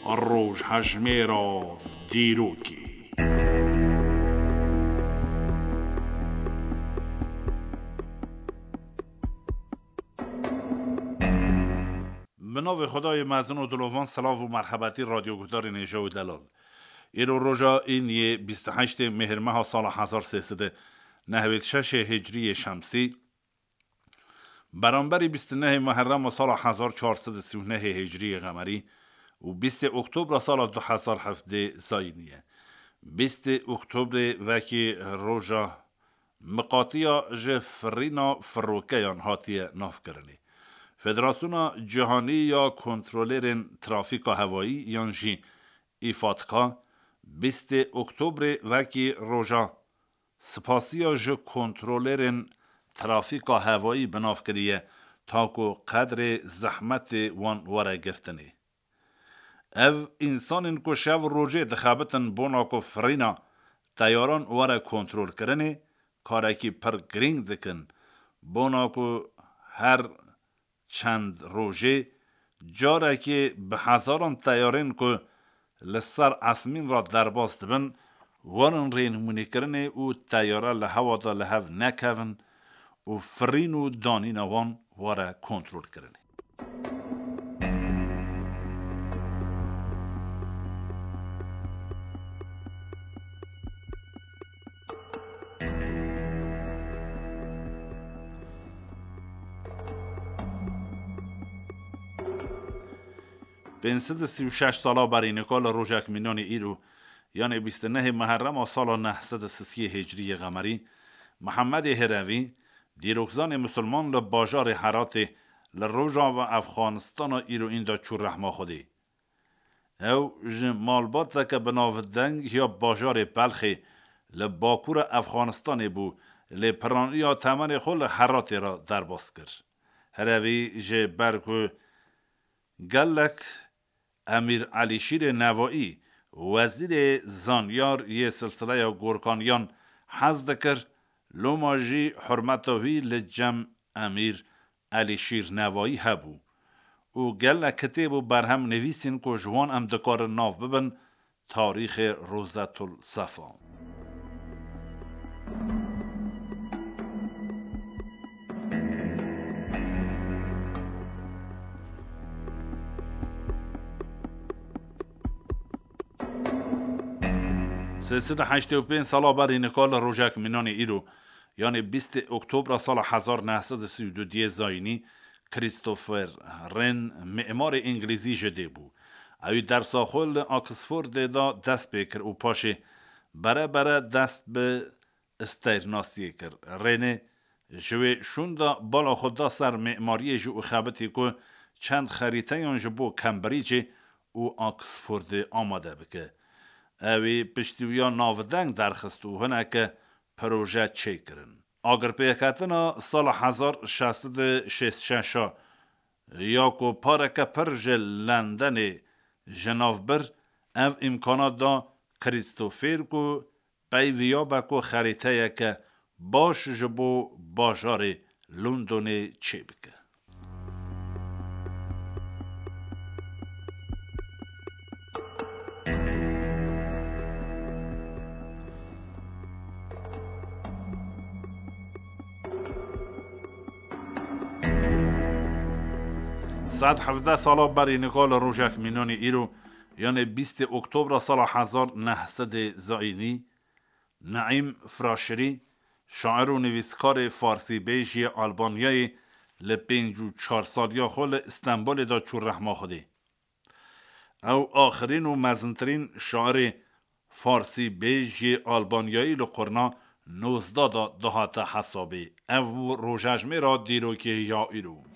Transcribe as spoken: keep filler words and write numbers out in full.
Rojhejmêra dîrokê. Bi navê Xwedayê mezin û dilovan, silav û merhebetî radyoguhdarên hêja û delal. Îro roja îniyê bîst û heştê Mêhrmeha sala hezar sê sed û nehwêd şeşê Hicriyê Şemsî, beramberî bîst û nehê Muherrema sala hezar çar sed û sî û nehê Hicriyê Qemerî û bîstê Oktobra sala du hezar heftê Zayînî ye. Bîstê Oktobrê wekî roja miqatiya ji firîna firokeyan hatiye navkirinê. Federasyona Cîhanî ya Kontrolerên Trafîka Hewayî yan jî îfatka bîstê Oktobrê wekî roja spasiya ji kontrolerên trafîka hewayî bi nav kiriye, ta ku qedrê zehmetê wan were girtinê. Ev însanên ku şev û rojê dixebitin bona ku firîna teyaran were kontrolkirinê, karekî pir girîng dikin, bona ku her çend rojê carekê bi hezaran teyarên ku li ser esmîn re derbas dibin, werin rênimûnîkirinê û teyare li hewa de li hev nekevin û firîn û danîna wan were kontrolkirinê. Pênc sed û sî û şeş sala berî nika li rojek mînanê îro, yanê bîst û nehê Meherrema sala neh sed û sisiyê Hicriyê Qemerî, Mihemedê Hirevî, dîrokzanê misilman li bajarê Heratê li rojava Efxanistana îroîn de çû rehma Xwedê. Ew ji malbateke bi navdeng ya bajarê Belxê li bakûra Efxanistanê bû, lê piraniya temenê xwe li Heratê re derbas kir. Herevî ji ber ku gelek Emîr Elîşîrê Nevaî, wezîrê zanyar yê silsileya Gorkaniyan hez dikir, loma jî hurmeta wî li cem Emîr Elîşîr Nevaî hebû û gelek kitêb û berhem nivîsîn ku ji wan em dikarin nav bibin, Tarîxê Rozetul Sefa. Sê sed û heştê û pênc sala berî nika li rojek mînanê îro, yanê bîstê Oktobra sala hezar neh sed û sî û du diyê zayînî, Christopher Wren, mimarê îngilîzî ji dê bû. Ewî dersa xwe li Oxfordê de dest pê kir û paşê bere bere dest bi stêrnasiyê kir. Wrenê ji wê şûn de bala xwe da ser mimariyê jî û xebitî ku çend xerîteyan ji bo Cambridgeê û Oxfordê amade bike. Ewî piştî wiya navdeng derxist û hineke proje çêkirin. Agirpêketina sala hezar şeş sed û şêst şeş a ya ku pareke pir ji Lendenê ji nav bir, ev îmkana da Krîstofer ku peyvî ya be ku xerîteyeke baş ji bo bajarê Londonê çêbike. Sed hevdeh sala berî nika li rojek mînanî îro, yanê bîstê Oktobra sala hezar neh sedê zayînî, Neîm Fraşirî, şair û nivîskarê farsîbêj yê Albanyayê, li pêncî û çar saliya xwe li Stenbolê de çû rehma Xwedê. Ew axirîn û mezintirîn şairê farsîbêj yê Albanyayî li qurna nozdeh de dihate hesabê. Ev bû rojejmêra dîrokê ya îro.